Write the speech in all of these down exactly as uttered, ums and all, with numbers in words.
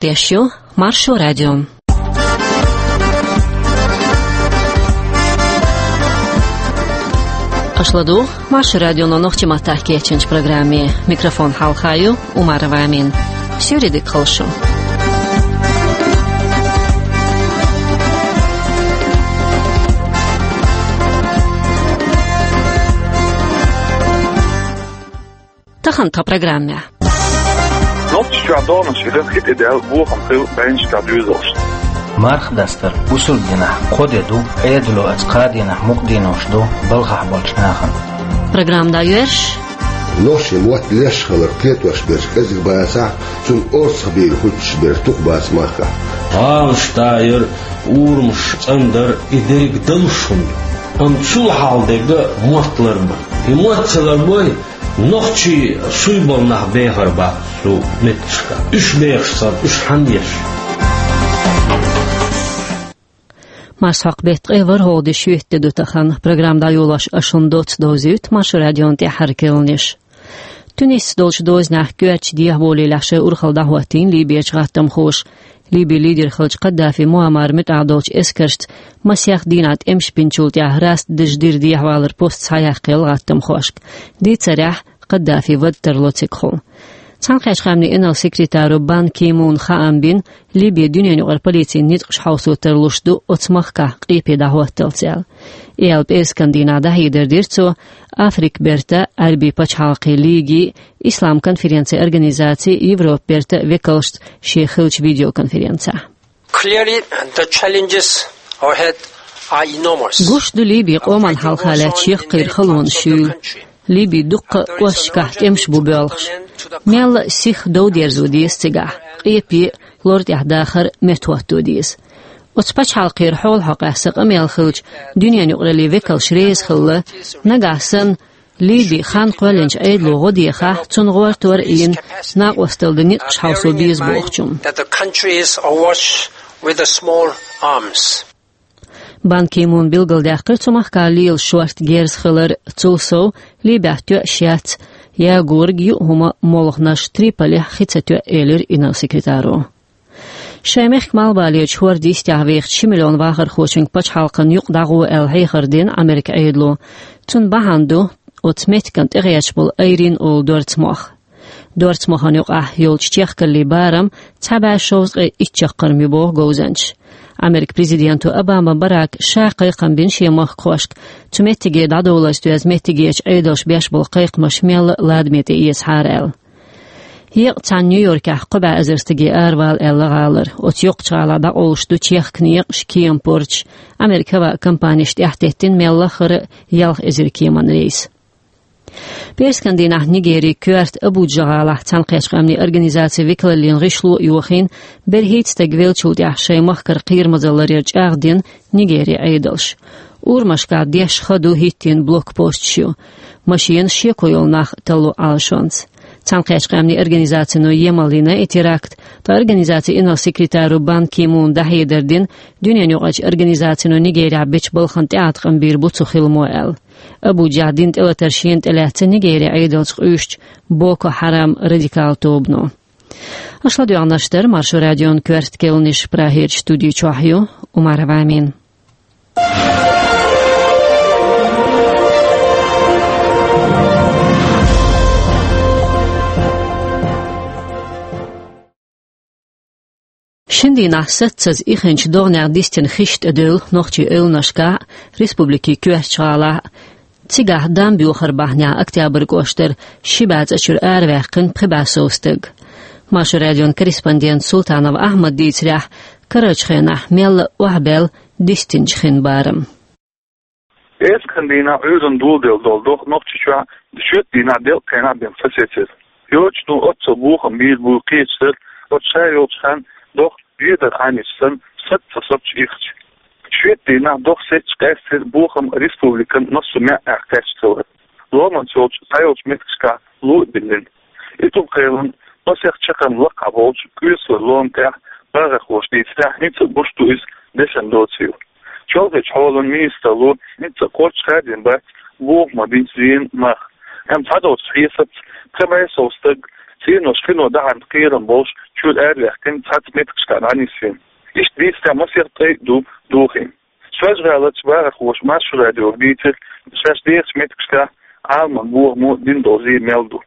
Тешю Маршо радио. Аша ладугӀу Маршо радионо нохчийн маттахь кечйинчу программе. Микрофон хьалха ю Умарова Амина. Суьйре дика хуьлда шун. Тахана тхан программехь. Нохчийчохь догӀанаш хилира хи тӀедаьлла, бохам хилла бӀеннашкахь доьзалшна. Марха дастар бусалба динехь кхо де ду, Ӏедало оцу кхаа дийнахь мукъа денош ду балхахь болчу нахана. Программа дӀайоьрзуш. Нохчийн мотт леш хилар кхетош берш кӀезиг бацахь, цунна орцахбийр хӀуьттуш берш дукха бац махкахь. ГӀалаш дайар, урамаш цӀандар, и дерриг далуш хӀума ду. Амма цул хьалха дерг мотт ларбан. И мотт ца ларбой, нохчий суй болу нах бехар бац цу метташка. Уьш бехаш цара, уьш хьанна еш? Марсхьокху беттан ткъе ворхӀалгӀа де шоьтан де ду тахана. Программа дӀайолош аш шуна доцца довзуьйту Маршо радион тӀаьххьара керланаш. Туниса долчу дозанехь коьртачу дехьаболаллехь шайн урхалла дӀахӀоттийна Либерчу гӀаттамхоша. Либин лидер хиллачу Каддафи Муаммар муьтӀахь долчу эскаршца масех дийнахь тӀемаш бинчул тӀаьхьа раста дажа дира дехьавалар пост схьаяьккхина гӀаттамхошка. Дийцарехь, Каддафи вада тарло цигахула. Цхьаьнакхеттачу къаьмнийн инарла секретаро Бан Ки Муна хаам бина, Либин дуьненан юкъара полицин ницкъаш хьовсо тарлуш ду оцу махкахь къепе дӀахӀотталц аьлла. И аьлла пӀераскан дийнахь дӀахьедар дира цо Африкан бертан, Ӏаьрбийн пачхьалкхийн лигин, Исламан конференцин организацин, Европан бертан векалшца шен хиллачу видеоконференцехь. Clearly, the challenges ahead are enormous. Гуш ду Либин къоман хьалха лаьтташ яккхийра халонаш юйла. Либин дуккха а кӀошташкахь тӀемаш бу боьлхуш. Мелла а сиха дов дерзо деза цигахь, къепе а, лор тӀехь дахар а меттахӀотто деза. Оцу пачхьалкхера хьолахьокъехь сан къамел хилча, дуьненан юкъараллин векалш реза хилла, нагахь санна Либи хан кхоьллинчу Ӏедало гӀо дехахь, цунна гӀортор а йина, накъосталла дан ницкъаш хьовсо беза бохучунна. That the country is awash with the small arms. Бан Ки Муна билгалдаьккхира цу махкахь лела шорта герз хилар, цул сов Либехь тоьаш яц ягориг, юъу хӀума, молханаш, Триполехь хи ца тоьа, элира инарла секретаро. Шайн мехкан малхбалерчу хӀордан йистехь вехачу ши миллион вахархочуьнга пачхьалкхан юкъ дӀагӀо аьлла хьехар дина Америкин Ӏедало. Цунна бахьана ду оцу меттиган тӀегӀерташ болу Айрин олу дорцмох. Дорцмохана юкъахь йолчу чехкаллийн барам цхьа бӀе шовзткъе итт чаккхарма ю боху говзанчаша. Америкин президенто Обама Барака ша кхайкхам бина шен махкахошка, цу меттиге дӀадовларца доьзна меттигерчу Ӏедалша беш болу кхайкхамаш мелла а ладаме тӀеэцахьара аьлла. Еккъа цхьана Нью-Йоркехь кхо бӀе эзар стаге аравала аьлла гӀалара. Оцу йоккхачу гӀалахь дӀакъовлуш ду чехка некъаш, кема порташ, Америкин хӀаваан компанеш тӀаьхьатеттина мелла а хӀара ялх эзар кеман рейс. ПӀераскан дийнахь Нигерин коьрта Абуджа гӀалахь Цхьаьнакхеттачу къаьмнийн организацин векалаллин гӀишло а йохийна, берхӀитта стаг веллачул тӀаьхьа шайн махкара кхерамазалларера чӀагӀдина Нигерин Ӏедалша. Урамашкахь дешна хан ду, хӀиттийна блокпосташ ю. Машенаш шеко йолу нах талло Ӏалашонца. Цхьаьнакхеттачу къаьмнийн организацино емалйина и теракт, ткъа организацин инарла секретаро Бан Ки Муна дӀахьедар дина, дуьненан юкъарчу организацино Нигерехь бечу балхана тӀеӀаткъам бийр бу цу хиламо аьлла. Абуджехь дина тӀелатар шена тӀелаьцна Нигерин Ӏедалца къуьйсучу Боко Хьарам радикал тобано. Аша ладоьгӀнарш дара Маршо радион коьрта керланаш. Прагерчу студи чохь ю Умарова Амина. Шина дийнахь саццаза ихинчу догӀанех дистина хиш тӀедевлла нохчийн эвланашкахь а, республикин коьртачу гӀалахь а. Цигахь Дам боьхар бахьанехь Октябрь кӀоштара ши бӀе цӀа чуьра араваьккхина пхи бӀе сов стаг. Маршо радион корреспондента Султанов Ахьмада дийцарехь, карарчу хенахь мелла а охьабаьлла дистинчу хин барам. ПӀераскан дийнахь Ӏуьйранна доладелла долу догӀа Нохчийчохь шоьтан дийнахь делкъа хенахь бен сацецира. Йоццуш ду оццул бохам бийр бу кхечу сара, оцу ша йолчу хан догӀа жедар Ӏамийча санна, саца ца сацча ихча. Шоьтан дийнахь догӀа сецча къаьстира бохам республикан массо а маьӀӀехь кхаьчна хилар. Ломанца йолчу цхьайолчу меттигашкахь ло а биллина. Италкхелан масех чаккхарма лакхахь болчу Куьйсалойн ломан тӀехь багӀархоша дийцарехь, хӀинца а гуш ду иза дешан доцийла. ЧолхӀачу хьолан министралло хӀинца а кхоччуш хаьдина бац бохам бинчу зенан мах. Амма цхьадолчу хьесапца пхи бӀе сов стаг Синош хино дахьарна кхерам болуш чуьра араваьккхина, цхьацца меттигашкахь дӀанисйина. Иштта дийцарехь, масех ткъе итт ду дохийна. Соьлжа-ГӀаларчу бахархоша Маршо радиога дийцира, шаьш дехачу меттигашкахь Ӏаламан бохамо дина долу зен мел ду.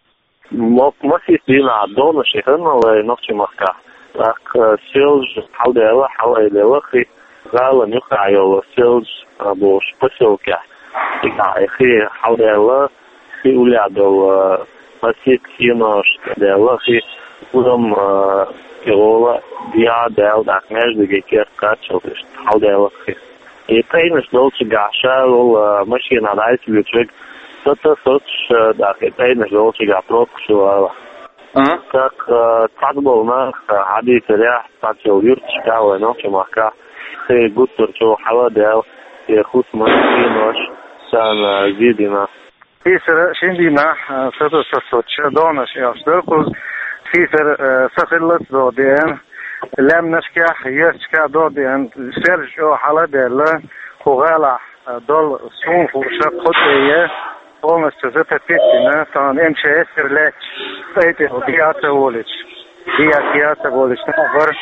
Мо-, масех дийнахь донаш хилла вай Нохчийн махкахь. ТӀаккха Соьлжа хьалдаьлла, хьалаайдаьлла хи, гӀалина юккъехь йолу Соьлжа бохучу посёлкехь. Цигахь и хи хьалдаьлла, хи уллехь долу, а, масех синош даьлла хи, урам, а, тӀехула дехьа даьлла, тӀаккха маьждиге керта кхаччалц иштта хьалдаьлла хи. И тӀайнаш долчуьнгахь ша волу, а, машенахь дӀасалоьцуш верг сатосуш, а, тӀаккха и тӀайнаш долчуьнгахь пробкаш ю ала. А? ТӀаккха, а, цхьаболу нах, а, хьадийцарехь, цхьацца йолу юьрташкахь вай Нохчийн махкахь хи гуттар а чӀогӀа хьала а даьлла, и хӀусамаш, синош царна, а, зен дина. Сийсара шина дийнахь, а, сатосуш сатосучу донаш аьлла дара кхуза. Сийсара, а, са хиллалц догӀа деана, лаьмнашкахь, юьрташкахь догӀа деана, Соьлжа чӀогӀа хьала а даьлла, кху гӀалахь, а, долу суна хууш кху тӀе я, полностью затопить дина, тахана МЧС-ара лаьтташ, тӀай тӀе дӀа а ца волуьйтуш, дӀа а ца волуьйтуш нах бара.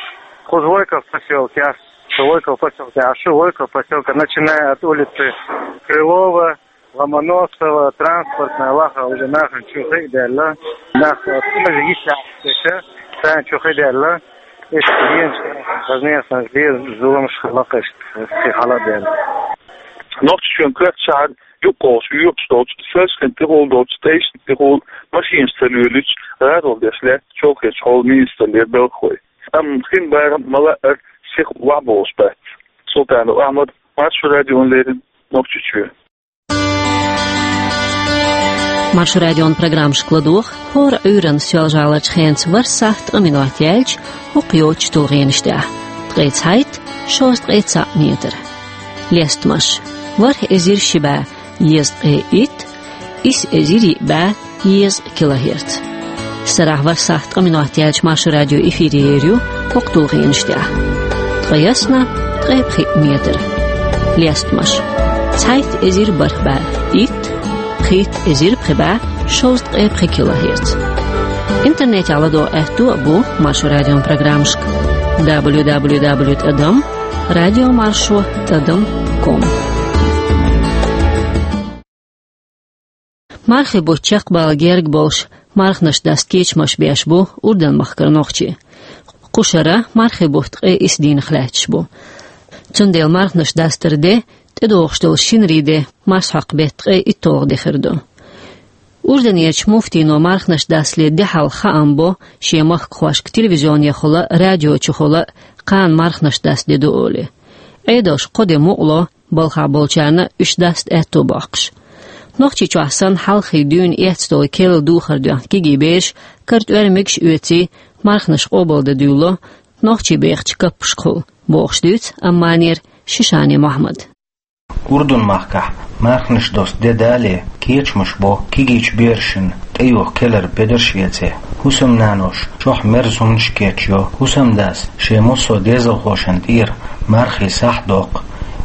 Кхуза Войков посёлкехь, со Войков посёлкехь шу, Войков посёлка, начиная от улицы Крылова, Ломоносова, Транспортная, лаха уже нахана чу хи а даьлла, нах, а, цӀена йиша, царна чу хи а даьлла, иштта зенаш, конечно, зен, зуламаш хилла иштта, хи хьала а даьлла. Нохчийчоьнан коьрта шахьар юккъехула йоькъуш долчу Соьлжа-ХӀинца тӀехула долчу тӀайшна тӀехула машенаш ца лоьлуьйтуш, гӀаролла деш лаьтта Чолхечу хьолан министраллера белхалой. Амма хин барам ма-лаъара сиха охьабовлуш бац. Султанов Ахьмад, Маршо радиона леррина, Нохчийчоь. Маршо радион программашка ладогӀа хӀора Ӏуьйранна Соьлжа-ГӀаларчу хенца ворхӀ сахьт ткъа минот яьлча, хӀокху йоцучу тулгӀенаш тӀехь: ткъе цхьайтта, шовзткъе цхьаъ метр. Лестамаш: ворхӀ эзар ши бӀе езткъе итт, исс эзар йиъ бӀе езткъа килогерц. Сарахь ворхӀ сахьт ткъа минот яьлча Маршо радио эфире ер ю хӀокху тулгӀенаш тӀехь: ткъе ялх, ткъе пхиъ метр. Лестамаш: цхьайтта эзар бархӀ бӀе итт, пхийтта эзар пхи бӀе шовзткъе пхи килогерц. Интернетехь ладогӀа аьтто а бу Маршо радион программашка: дабл ю дабл ю дабл ю тӀадам радиомаршо тӀадам ком. Мархийн бутт чекхбала герга болуш, марханаш даста кечамаш беш бу Урдан-махкара нохчий. Кху шарахь мархийн бутт ткъе исс дийнах лаьтташ бу. Цундела марханаш дастаран де тӀедогӀуш долу шинарин де марсхьокху беттан ткъе итталгӀа де хир ду. Урданерчу муфтино марханаш дастале де хьалха хаам бо шен махкахошка телевизионехула а, радиочухула а, кхана марханаш даста де ду олий. Ӏедалша кхо де мукъало, балхахь болчарна уьш даста аьтто боккхуш. Нохчийчохь санна хьалххе дуьйна эцна долу керла духар доьхна кегий бераш, кара тӀоьрмигаш а оьций, марханаш къобалдан дуьйлало нохчий бехачу каппашкахула, бохуш дуьйцу Амманера Шишани Мохьмада. Урдан-махкахь марханаш доста де далале, кечамаш бо кегийчу берашна тӀейоха келара бедарш эций. ХӀусамнаноша чохь мерза хӀуманаш кечйо, хӀусамдас шен массо а дезалхошна тӀера мархийн сахь доккху.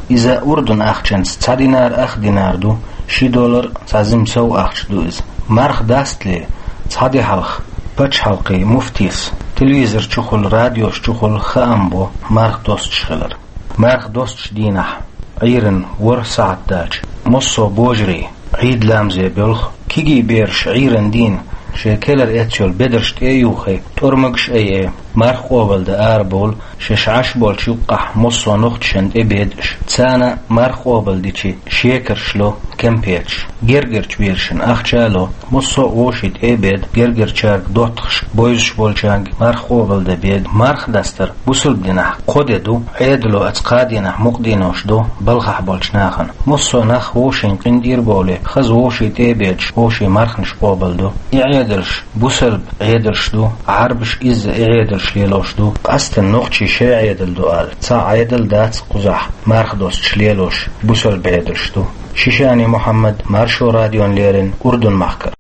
Иза Урдан ахчанца цхьа динар, ах динар ду, ши доллар, цхьа зим сов ахча ду иза. Марха дастале, цхьа де хьалха пачхьалкхийн муфтис телевизор чухула, радиош чухула хаам бо марха достуш хилар. Марха достучу дийнахь, Ӏуьйранна ворхӀ сахьт даьлча, массо а божарий Ӏийд ламазе боьлху. Кегий бераш Ӏуьйранна дийна шайн келара эцна йолу бедарш тӀе а юхий, тӀормигаш а айъий, марха къобалдан арабовлу, шаьш Ӏаш болчу юккъехь массо а нохчашна тӀе беда уьш. Царна марха къобалдича шекарш ло, кемпеташ. Гергарчу берашна ахча а ло, массо а вовшийн тӀе а беда, гергарчаьрга доттагӀашка, бойзуш болчаьрга марха къобалдан беда. Марха дастар бусалба динехь кхо де ду, Ӏедало оцу кхаа дийнахь мукъаденош ду балхахь болчу нахана. Массо а нах вовшийн къинтӀера бовлий, хаза вовшийн тӀе а бедаш, вовшийн марханаш къобалдо. И Ӏедалш бусалба Ӏедалш ду, Ӏарбаша изза и Ӏедалш лелош ду, къаьсттина нохчийн шайн Ӏедал ду аьлла, цхьа Ӏедал дац кхузахь марха достуш лелош, бусалба Ӏедалш ду. Шишани Мухьаммад, Маршо радиона леррина, Урдан-махкара.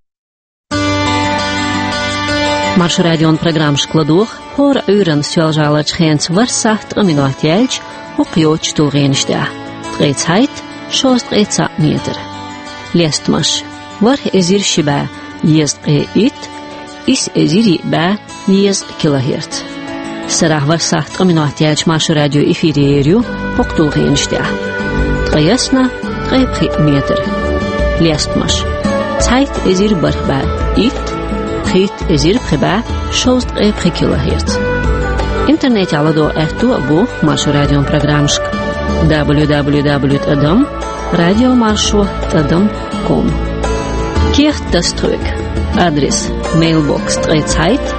Маршо радион программашка ладогӀа хӀора Ӏуьйранна Соьлжа-ГӀаларчу хенца ворхӀ сахьт ткъа минот яьлча, хӀокху йоцучу тулгӀенаш тӀехь: ткъе цхьайтта, шовзткъе цхьаъ метр. Лестамаш: ворхӀ эзар ши бӀе езткъе итт, исс эзар йиъ бӀаь дезткъа килогерц. Сарахь вархӀ сахьт ткъа минот яьлча Маршо радио эфире ер ю, хӀокху тулгӀенаш тӀехь. Ткъе ялх, ткъе пхи метр. Лестамаш. Цхьайтта эзар бархӀ бӀаь итт, пхийтта эзар пхи бӀаь шовзткъе пхи килогерц. Интернетехь ладогӀа аьтто а бу Маршо радион программашка: дабл ю дабл ю дабл ю тӀадам радиомаршо тӀадам ком. Кехат таса тхоьга. Адрес: мейлбокс ткъе цхьайтта,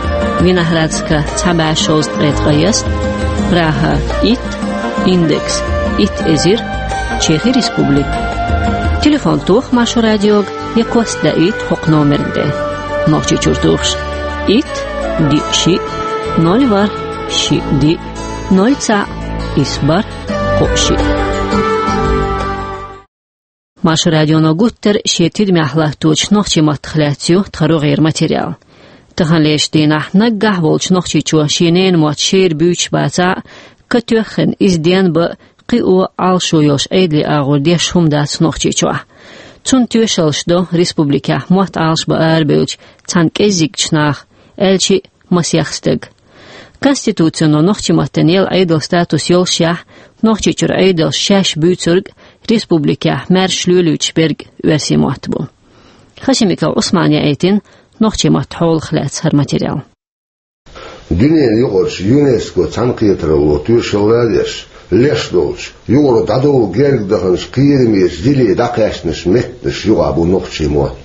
Виноградска цхьа бӀаь шовзткъе ткъайесна, Прага итт, индекс итт эзар, Чехи Республика. Телефон тоха Маршо радиога я кост даийта хӀокху номерна тӀе. Нохчийчуьра тухуш: итт, диъ, шиъ, ноль, ворхӀ, шиъ, диъ, ноль, цхьаъ, исс, бархӀ, кхоъ, шиъ. Маршо радионо гуттара шен тидамехь латточу нохчийн маттах лаьцна ю тхан рогӀера материал. Таханлерчу дийнахь наггахь волчу нохчичо шен ненан мотт шера буьйцуш бацахь а, катоьхна иза денбан а, кхио а, Ӏалашо йолуш Ӏедалан агӀор деш хӀума дац Нохчийчохь. Цунна тоьшаллаш до республикехь мотт Ӏалашбан арабевллачу цхьана кӀеззигчу наха, аьлча а масех стага. Конституцино нохчийн маттана елла Ӏедалан статус йолушехь, Нохчийчуьра Ӏедалша шаьш буьйцург а, республикехь маьрша лелойтуш берг а оьрсийн мотт бу. Хашимиков Ӏусмана яийтина нохчийн маттан хьолах лаьцна хӀара материал. Дуьненан юкъарчу ЮНЕСКО цхьаьнакхетаралло тоьшалла а деш, леш долчу, юкъара дӀадовла герга даханчу кхерамечу диленна дӀакхаьчначу меттанаш юкъахь бу нохчийн мотт.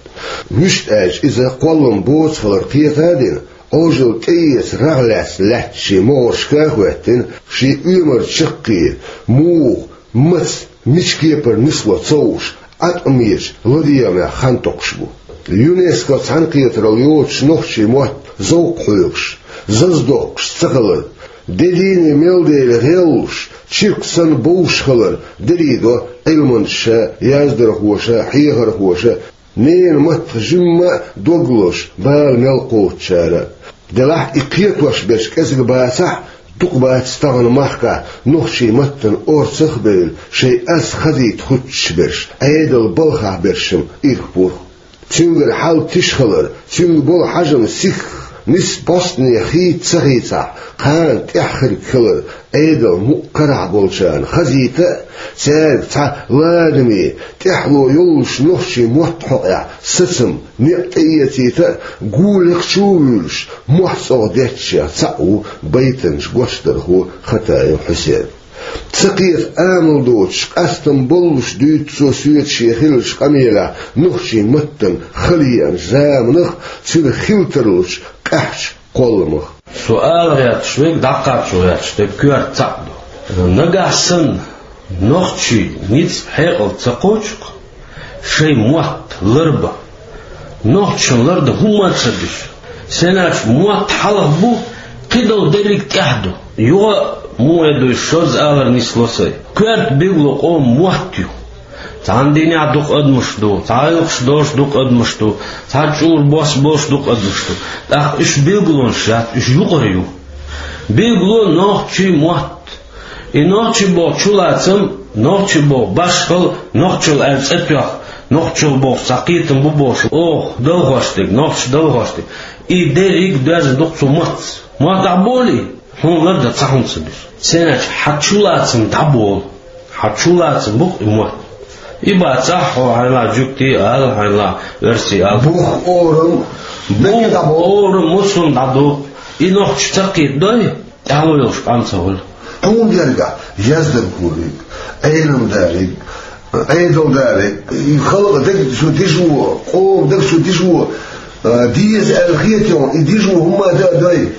Вуьшта аьлча, иза кхоллам боцу хилар кхета а дина, Ӏожалла тӀеэца рагӀ лаьцна лаьттачийн могӀаршка а хӀоьттина, шен оьмар чаккхе, муха, маца, мича кепара нисло ца хууш, Ӏаткъамечу ладегӀамех хан токхуш бу. ЮНЕСКО цхьаьнакхетаралла йоцуш нохчийн мотт зовкх хьоьгуш, зазадоккхуш ца хилар, де дийне мел дела гӀеллуш, чиркх санна бовш хилар дерриг до Ӏилманчаша, яздархоша, хьехархоша, ненан маттах жимма а дог лозуш бала мел кхочучара а. Делахь и кхетош берш кӀезиг бацахь а, дукха бац тахана махкахь нохчийн маттана орцах а бевлла, шайн аз хазийта хуьттуш берш, Ӏедалан балхахь берш-м ирх-пурх. Цуьнгара хьал тиша хилар, цуьнга болу хьажам сихха, нисса бӀостанехьа хийца ца хийцахь, кхана тӀаьхьа хирг хилар Ӏедалан мукъа карахь болчарна хазийта а, цаьрга цхьа ладаме, тӀаьхьало йоллуш нохчийн мотт хьокъехь сацам, некъ тӀеэцийта а, гулехь чу а вуьйлуш, мохь цӀогӀа детташех цхьаъ ву байтанча гочдархо Хатаев Хьусен. Ца кхета амал доцуш, къастам боллуш дуьйцу цо соьца шен хиллачу къамелехь нохчийн маттана хала еанчу заманах а, цуьнан хила тарлучу къаьхьачу кхолламах. Со ала гӀерташ верг, дӀакхачо гӀерташ дерг коьрта цхьаъ ду. Нагахь санна нохчийн ницкъ, хьекъал ца кхочу-кх, шайн мотт ларбан. Нохчашна лардан хӀумма а ца дуьсу. Сенаш мотт хьалха бу, кхидолу дерриг тӀехь ду. Юха а муха дуьйцу, шозза алар нисло сайн. Коьрта билгало къоман мотт ю. Цхьана дийнахь дукха адамаш ду, цхьа гӀиллакхаш долуш дукха адамаш ду, цхьа чӀура бос болуш дукха адамаш ду. ТӀаккха уьш билгалонаш яц, уьш юкъара ю. Билгало нохчийн мотт. И нохчи боху чулацам, нохчи боху башхалла, нохчалла аьлла цӀе тоьхна, нохчалла боху цхьа кхетам бу бохуш, оха далхош дерг, нохчаша далхош дерг. И дерриг а доьзна ду-кх цу маттаца. Мотт ахь болий, хьуна лардан цхьа хӀума ца дуьсу. Сенаш хьан чулацам дӀаболу. Хьан чулацам бу-кх и мотт. И бацахь, хьо хьайна жуьгтий ала, хьайна оьрсий ала. Бух, орам, бух, орам, муьлхха а дӀадолу. И нохчаша ца кхетадой, тӀаьхьало йолуш къам ца хуьлу. Хьуна гергахь яздархо верг, Ӏелам да верг, Ӏедал да верг, и халкъан дегнаш чу дижо, къоман дегнаш чу дижо, а, деза аьлла хетахь, и дижо хӀумма а дан а дой.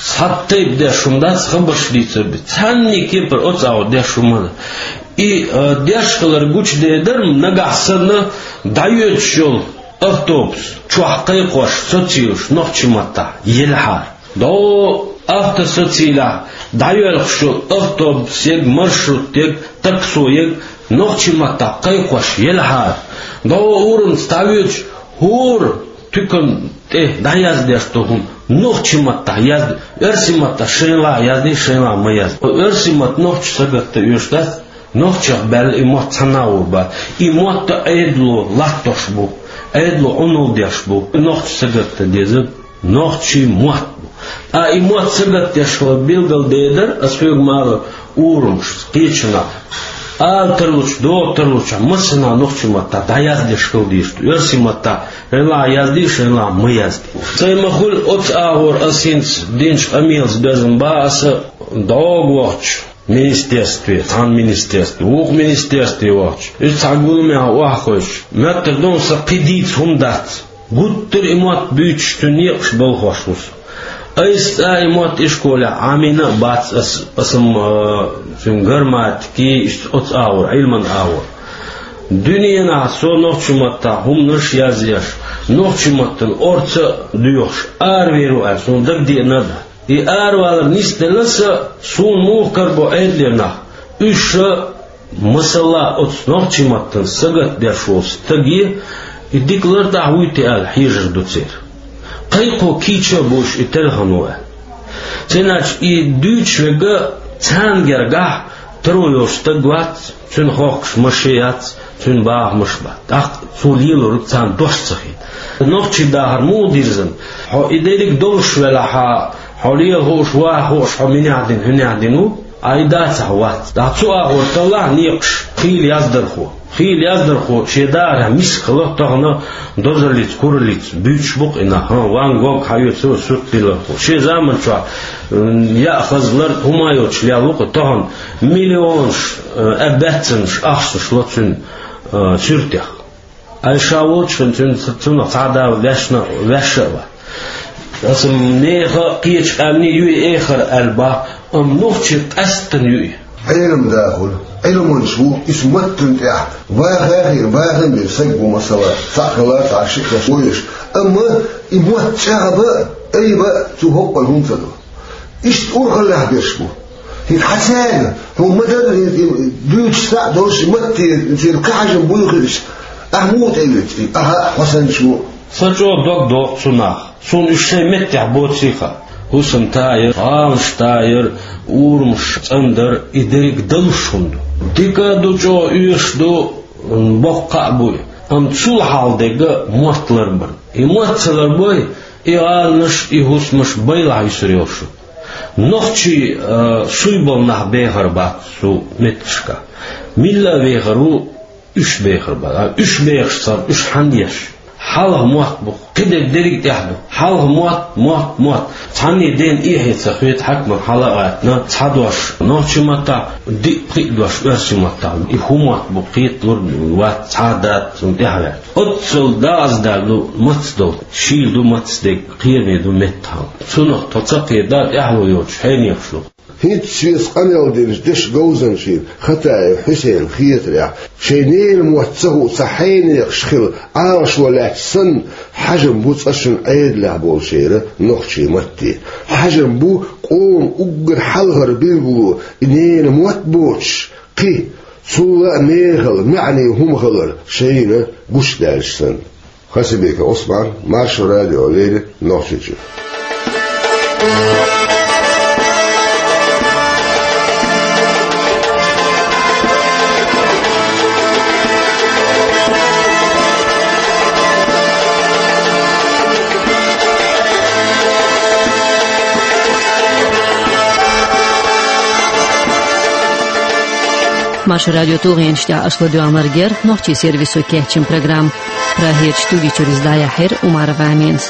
Цхьа тайпа деш хӀума дац, хабарш дийцар бен. Цхьанний кепара оцу агӀор деш хӀума дац. И, а, деш хилар гучудер дар-м, нагахь санна дӀайоьдуш йолу автобус чохь кхайкхош, соцуьйлуш нохчийн маттахь елахьара. ДӀо автосоцийлехь дӀайоьлхуш йолу автобус ерг, маршрут ерг, таксо ерг нохчийн маттахь кхайкхош елахьара. ДӀо урамца дӀавоьдуш, хӀора туькан тӀе дӀаяздеш долу хӀума нохчийн маттахь язде, оьрсийн маттахь шайна лахь язде, шайна лахь ма язде. Оьрсийн мотт нохчаша сагатта оьшуш дац, нохчех баьлла и мотт цхьанна а вур бац. И мотт Ӏедало латтош бу, Ӏедало Ӏуналла деш бу, нохчаша сагатта деза. Нохчийн мотт бу. А и мотт сагатдеш хилар билгалдер дар, ас хьоьга ма аллара, урамашца, кхечанхьа. Ала тарлучу, доха тарлучу, массанхьа нохчийн маттахь дӀаяздеш хила дезаш ду. Оьрсийн маттахь хӀинца а яздеш, хӀинца а ма яздеш. Цай ма хуьлу оцу агӀор ас хӀинца динчу къамелаца безна бан аса дӀогахь вахча. Министерстве, цхьана министерстве, вукху министерстве вахча. Иза цхьа гуламехь охьахевшича, моьттур ду сан кхин дийца хӀума дац. Гуттар а и мотт буьйцуш цуьнан некъаш балхош ву со. Айса цкъа а и мотт ишколехь Ӏамийна а бац ас, аса-м, а, цуьнан грамматикин, иштта оцу агӀор, Ӏилманан агӀор. Дуьненахь со нохчийн маттахь хӀуманаш а язъеш, нохчийн маттана орца а доьхуш, аравер ву аьлла, суна дагадеана а дац. И аравалар нисделла сан, суна муха карабо Ӏедалера нах. Уьш ша, масала, оцу нохчийн маттана сагатдеш волу стаге и дика лартӀехь вуй те аьлла хьежар ду церан. Кхайкхо кийча а бу уьш и тера хӀума аьлла. Цундела и дуьйцуш верг царна гергахь таро йолуш стаг вац, цуьнан хохкуш машен яц, цуьнан бахамаш бац. ТӀаккха цо лелориг царна дош ца хета. Нохчийн дахар муха дирзина? Хьо и дерриг долуш велахь, хьо лела хууш, ваха хууш, хьо минехь дина, хӀунех дина ву, а и дацахь вац. ТӀаккха цу агӀор таллахь некъаш хийла яздархо. Хийла яздархо шен дахарехь миска хила тахана дозаллица, кураллица буьйцуш бу-кх и нах. ХӀан, Ван Гог хьаоьцу сурт диллархо. Шен заманчохь, м, яа хаза лар, хӀума йоцуш лелла ву-кх и тахана. Миллионаш, э, а баьццанаш ахчанаш ло цуьнан, э, суьртех. Ай ша волчу хин цуьнан, цунах цхьа а да ваьшна, ваьшша а вац. Аса нехан а, кхечу къаьмнийн юй эхар аьлла бах, амма нохчийн къаьсттина юй. Ӏелам дахура, Ӏилманча ву, иза маттана тӀехь ваха а хир, ваха а бира саг ву, масала, цхьаъ хилла, цхьа шиъ хилла вуьйш. Амма и мотт чӀагӀбан а, айбан а цу хӀоккхул хӀума ца до. Иштта урхаллехь берш бу. ХӀинца хьан цаьрга, хьуна ма-дарра, хӀинца и дуьйцуш схьа а долуш, и матте, церан кхин хьажам буй хир иштта? Ахьа муха тӀеоьцу и? Ахьа а, хьо санначо а. Сан чӀогӀа дог доху цунах. Суна уьш шайн меттехь боций хаьа. ХӀусам тайар, гӀаланаш тайар, урамаш цӀандар, и дерриг далуш хӀума ду. Дика а ду, чӀогӀа оьшуш ду, боккха а буй. Амма цул хьалха дерг мотт ларбар. И мотт ца ларбой, и гӀаланаш, и хӀусамаш байлахь юьсур йолуш ю. Нохчий, а, суй болу нах бехар бац цу меттигашкахь. Милла а вехар ву, уьш бехар бац. А уьш бехаш цара, уьш хьан деш? Хьалха мотт бу, кхидерг дерриг а тӀехь ду. Хьалха мотт, мотт, мотт. Цхьанне дена эхье ца хета, хьаькаман хьала а гӀаьттина, цхьа дош нохчийн маттахь, диъ-пхиъ дош оьрсийн маттахь. И хӀун мотт бу, кхеталур вац, цхьа а дац цунна тӀаьхьаваьлла. Оццул даза даьлла ду маца долу, шийла ду маца дерг, кхераме ду меттахьалла. Цунах тхо ца кхета, тӀаьхьало йоцуш хьенехаш ду. ХӀинца шеца къамел динчу дешан говзанчийн Хатаев Хьусейнан хетарехь, шайн ненан мотт ца хууш цхьа хьенехаш хила Ӏалашо лаьтташ санна, хьажам бу цкъа шуна Ӏедалехь болчеран нохчийн матте. Хьажам бу къоман уггар хьалхара билгало и ненан мотт боцуш, кхин, цул а мехала, маьӀне хӀума хилар шайна гучудаьлча санна. Хасабеков Ӏусман, Маршо радиона леррина, Нохчийчуьра. Маршо радион тулгӀенаш тӀехь аша ладоьгӀнарг яра нохчийн сервисо кечйина программа. Прагерчу студи чуьра иза дӀаяьхьира Умарова Аминас.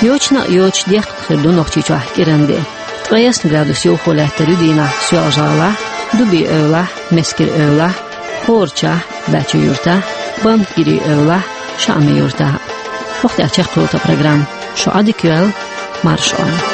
Йочана а йоцуш дехкан хир ду Нохчийчохь кӀиран де. Ткъе ялх градус йовхо лаьттар ю дийнахь Соьлжа-ГӀалахь, Дуби-Эвлахь, Мескер-Эвлахь, ХӀорачахь, Бачу-Юьртахь, Бамтгири-Эвлахь, Шаами-Юьртахь. ХӀокху тӀехь чекхйолу тхан программа. Шу Ӏадика йойла, марша Ӏойла.